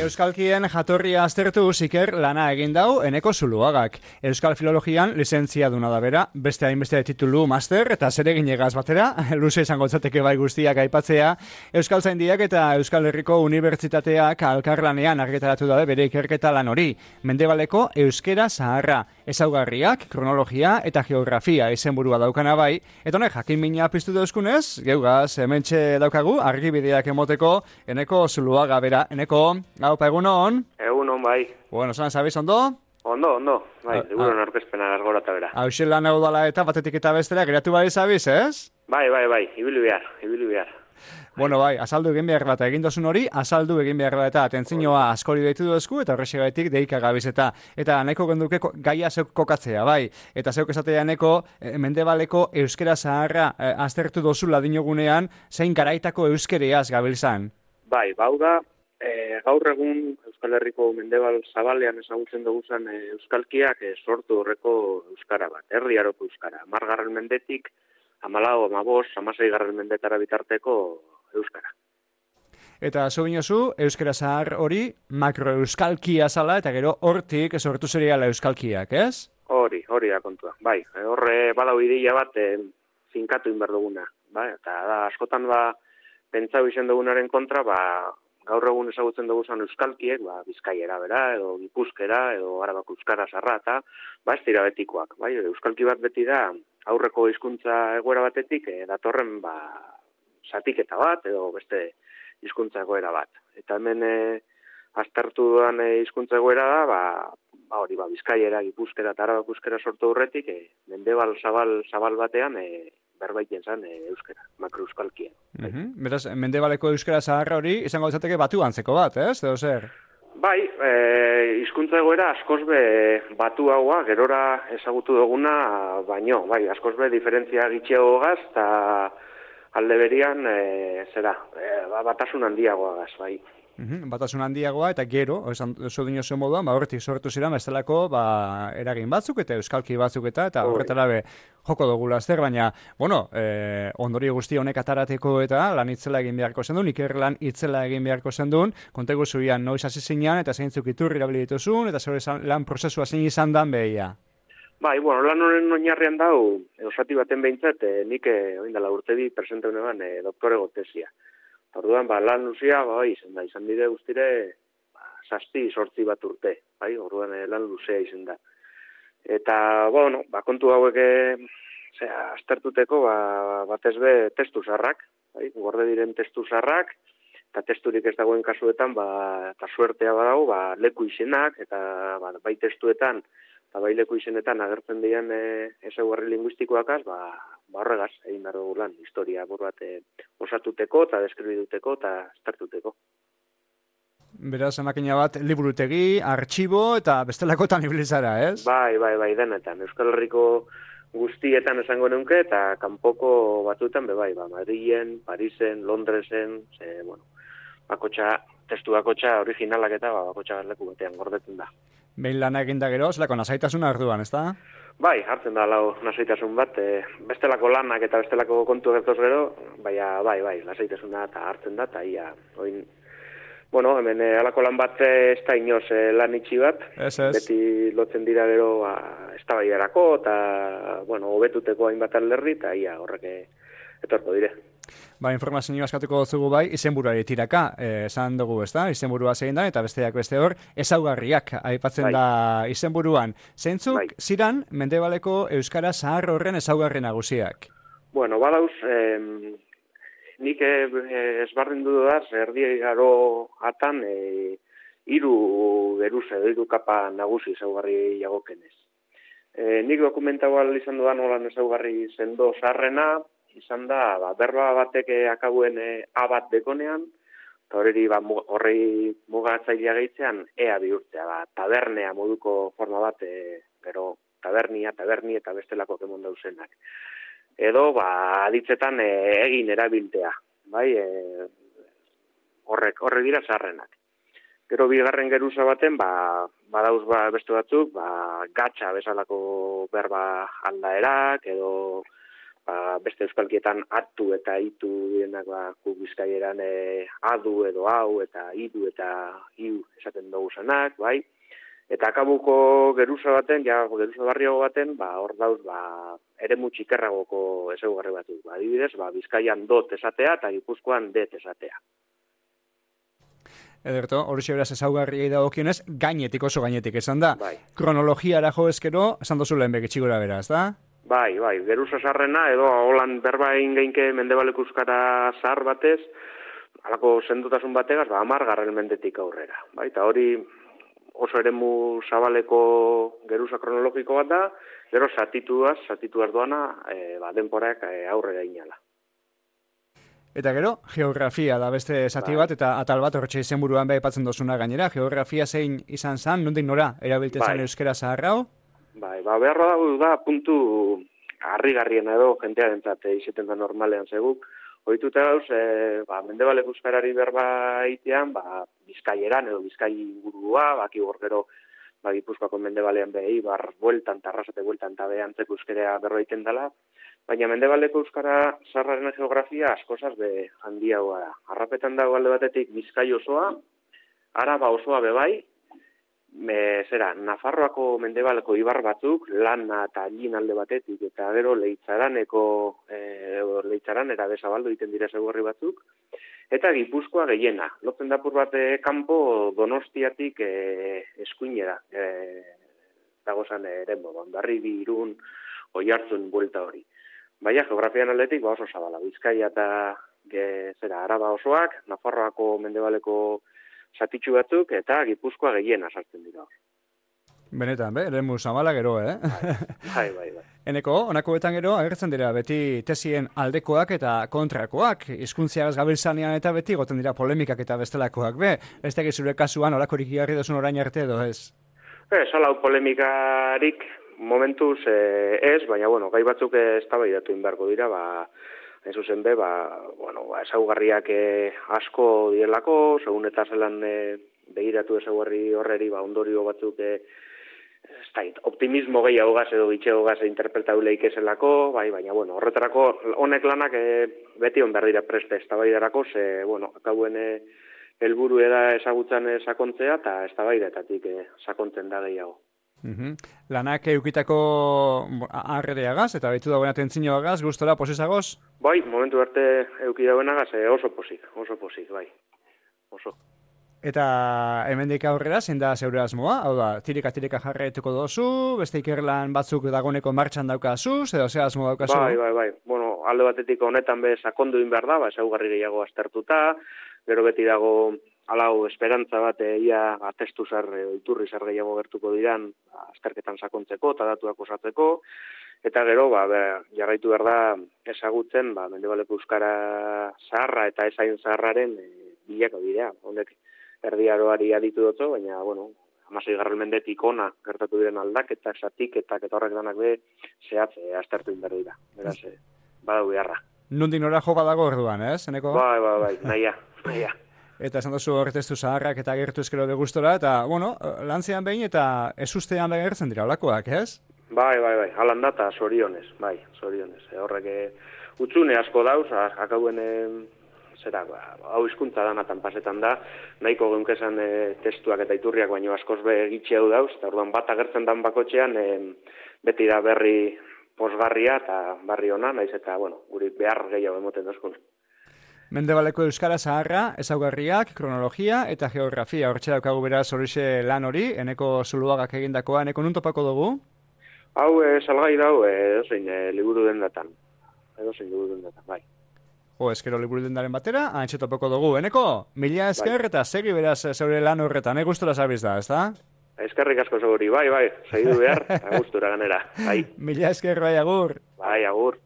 Euskalkien jatorria aztertu Iker lana egin dau Eneko Zuluagak. Euskal Filologian lizentziaduna da bera, beste hainbeste titulu master eta zereginegaz batera, luze izango litzateke bai guztiak aipatzea, Euskaltzaindiak eta Euskal Herriko Unibertsitateak elkarlanean argitaratu dabe bere ikerketa lan hori. Mendebaleko euskera zaharra, ezaugarriak, kronologia eta geografia izenburua daukana bai, eta honek jakin mina piztu dauzkunez, geugaz, hementxe daukagu, argibideak emoteko Eneko Zuluaga bera. Eneko, haupa, egunon? Egunon, bai. Bueno, zan, zabiz, ondo? Ondo, bai, liburuan aurkezpena argora eta bera. Hau lan hau dala eta batetik eta bestera, geratu bai zabiz, ez? Bai, ibili behar. Bueno, bai, azaldu egin behar bat egin dozun hori, azaldu egin behar bat eta atentzinoa askori deitu dozku, eta horrexegatik deika gabiz eta nahiko genduke gaia zeuk kokatzea, bai. Eta zeuk esatea neko, mendebaleko euskera zaharra aztertu dozula dinogunean, zein garaitako euskereaz gabiltzan. Bai, bau da, gaur egun Euskal Herriko mendebal zabalean ezagutzen duguzan euskalkiak sortu horreko euskara bat, herriaroko euskara. 10. mendetik, 14, 15, 16. mendetara bitarteko euskara. Eta zo binozu, euskara zahar hori makroeuskalkia zala, eta gero hortik sortu seriala euskalkiak, ez? Hori da kontua. Bai, horre badau ideia bat finkatu inbar duguna. Bai, eta da, askotan pentsau izen dugunaren kontra, gaur egun ezagutzen dugu euskalkiek, Bizkaiera bera, edo Gipuzkera, edo Arabako euskara zarra, eta ez dira betikoak. Bai, euskalki bat beti da, aurreko hizkuntza egoera batetik, datorren zatiketa bat, edo beste hizkuntza egoera bat. Eta hemen aztertu duan hizkuntza egoera da, hori, Bizkaiera, Gipuzkera eta Arabako euskara sortu horretik, mendebal zabal batean, berbaiten zen euskara, makroeuskalkia. Beraz, mendebaleko euskara zaharra hori izango izateke batu antzeko bat, ez? Edo zer? Bai, hizkuntza egoera askoz be batu haua, gerora ezagutu duguna, baino, bai, askoz be diferentzia gitxeagogaz, eta alde berian, batasun handiagoagaz, bai. Batasun handiagoa eta gero, oso dino zen moduan, horretik sortu ziren, bestelako eragin batzuk eta euskalki batzuk eta horretara joko dugula azter, baina, bueno, ondori guzti honek atarateko eta lan itzela egin beharko zendun, Iker lan itzela egin beharko zendun, kontegu zuian noiz hasi zinean eta zeintzuk iturri erabili dituzun, eta zure lan prozesua zein izan dan behia. Bai, bueno, lan honen oinarrian dau, osati baten behintzat, nik oindala urte bi presente honean doktorego tesia. Orduan, lan luzia, izan bide guztire, 7-8 bat urte, bai, orduan lan luzea izan da. Eta, bueno, kontu hauek, aztertuteko, batez be testu zarrak, bai, gorde diren testu zarrak, eta testurik ez dagoen kasuetan, eta suertea badago, leku izenak, eta bai testuetan, eta bai leku izenetan agertzen diren ezaugarri linguistikoakaz, horregaz, egin behar dugu lan, historia buru bat osatuteko, eta deskribiduteko, eta aztertuteko. Beraz, emakina bat, liburutegi, artxibo, eta bestelakotan ibilizara, ez? Bai, denetan. Euskal Herriko guztietan esango neunke, eta kanpoko batzuetan, Madrilen, Parisen, Londresen, testu bakotxa originalak eta bakotxa leku batean gordetzen da. Behin lana eginda gero, zelako nasaitasuna arduan, ez da? Bai, hartzen da lau nasaitasun bat, bestelako lanak eta bestelako kontu gertoz gero, bai, lasaitasuna eta hartzen da, eta oin, bueno, hemen alako lan bat ez da inoz lan itxi bat, beti lotzen dira gero eztabaidarako eta, hobetuteko hainbat alderdi, eta horrek etorko dire. Informazioa askatuko dugu bai, izenburuari tiraka, esan dugu, ez da? Izenburua zein da, eta besteak beste hor, ezaugarriak aipatzen da izenburuan. Zeintzuk ziran mendebaleko euskara zahar horren ezaugarri nagusiak? Bueno, badauz, nik ezbardin dudaz, erdi garo atan, hiru geruz edo hiru kapa nagusi ezaugarri jagokenez. Nik dokumentagoa izan dudan holan ezaugarri sendo zaharrena, izan da, berba batek akabuen A bat dekonean, eta horri mugatzailea gehitzean ea bihurtzea, tabernea moduko forma bat, gero taberni eta bestelako kemon dauzenak. Edo, aditzetan egin erabiltea, bai, horrek dira zaharrenak. Gero bigarren geruza baten, badauz beste batzuk, gatxa bezalako berba aldaerak, edo beste euskalkietan atu eta itu dienak guk Bizkaieran adu edo hau eta idu eta iu esaten dugu zanak, bai. Eta akabuko geruza baten, geruza barriago baten, hor dauz, eremu txikerragoko ezaugarri batzuk. Adibidez, Bizkaian dot esatea eta Gipuzkoan det esatea. Ederto, hori beraz ezaugarriei dagokionez, gainetik oso gainetik esan da. Bai. Kronologiara jo ezkero, esan dozu lehen begitxigora beraz, da? Bai, geruza zarrena, edo holan berba egin geinke mendebaleko euskara zahar batez, halako sendotasun bategaz, 10. mendetik aurrera. Bai, eta hori oso eremu zabaleko geruza kronologiko bat da, gero zatituaz doana, denporak aurrera inala. Eta gero, geografia da beste zati bat, eta atal bat horretxe izenburuan aipatzen dozuna gainera. Geografia zein izan zan, nondik nora, erabiltzen zan euskera zaharrau? Bai, beharra da puntu harrigarrien edo jentearentzat izaten da normalean zeguk. Ohituta gauz, mendebaleko euskarari berba egitean, Bizkaieran edo Bizkai ingurua, baki hor gero Gipuzkoako mendebalean behi, bueltan, tarrasate bueltan, eta behantzeko euskarea berro egiten dela. Baina mendebaleko euskara zaharraren geografia askozaz be handiagoa da. Arrapetan dago alde batetik Bizkai osoa, Araba osoa bebai, Nafarroako mendebaleko ibar batzuk, Lana eta Allin alde batetik, eta gero Leitzaran eta Bezabaldo egiten dira ezaugarri batzuk, eta Gipuzkoa gehiena. Lotzen dapur bat kanpo Donostiatik eskuinera, dagozan Hondarribi, Irun, Oiartzun buelta hori. Baina geografian aldetik oso zabala, Bizkaia eta Araba osoak, Nafarroako mendebaleko zatitxu batzuk, eta Gipuzkoa gehiena sartzen dira. Benetan, eremu zabala gero, Bai. Eneko, honakoetan gero, agertzen dira beti tesien aldekoak eta kontrakoak, hizkuntziagaz gabiltzanean eta beti goten dira polemikak eta bestelakoak, ez da zure kasuan olakorik igarri dozun orain arte edo ez? Salau polemikarik momentuz ez, baina, gai batzuk eztabaidatu inbarko dira, hain zuzen be, ezaugarriak asko direlako, segun eta zelan begiratu ezaugarri horreri, ondorio batzuk optimismo gehiagogaz edo gitxegogaz interpretabuleik ezelako, baina, horretarako honek lanak beti on behar dira preste eztabaidarako, akauen helburu da ezagutzen sakontzea, eta eztabaidetatik sakontzen da gehiago. Lanak eukitako arrereagaz, eta baitu dagoen atentzinoagaz, gustora, posizagoz? Bai, momentu arte euki dagoenagaz oso posik, bai, oso. Eta hemendik aurrera, zein da zeure asmoa? Hau da, tirika jarraituko dozu, beste ikerlan batzuk dagoeneko martxan daukazuz, edo ze asmo daukazu? Bai. Alde batetik honetan be sakondu egin behar da, ezaugarri gehiago aztertuta, gero beti dago halau esperantza bat ia atestu zar, iturri zar gehiago gertuko diran, azterketan sakontzeko eta datuak osatzeko, eta gero jarraitu behar da ezagutzen mendebaleko euskara zaharra eta ezain zaharraren bilako dira. Honek erdiaroari aditu dutzo, baina, 16. mendetik ona gertatu diren aldaketak, zatiketak eta horrek danak be zehatze aztertu inber dira. Beraz, badau beharra. Nondik nora jo badago orduan, ez? Eneko? Bai, naia. Eta esan duzu horretestu zaharrak eta gertu eskero de gustora, eta, lantzean behin eta ez ustean begertzen dira olakoak, ez? Bai, halan da eta zorionez, Horrek utzune asko dauz, akauen hau hizkuntza danatan pasetan da, nahiko geunkezan testuak eta iturriak baino askoz be gitxeu dauz, eta orduan bat agertzen dan bakotxean, beti da berri posgarria eta barri ona, naiz eta, guri behar gehiago emoten dozkun. Mendebaleko euskara zaharra, ezaugarriak, kronologia eta geografia. Hortxe daukagu beraz horixe lan hori, Eneko Zuluagak egindakoa, Eneko nun topako dugu? Hau salgai dau, edozein liburu dendatan, bai. Eskero liburu dendaren batera, antxe topako dugu. Eneko, mila esker eta segi beraz zeure lan horretan, gustura zabiz da, ez da? Eskerrik asko seguri, bai, segidu behar, gustura ganera, bai. Mila esker, bai, agur. Bai, agur.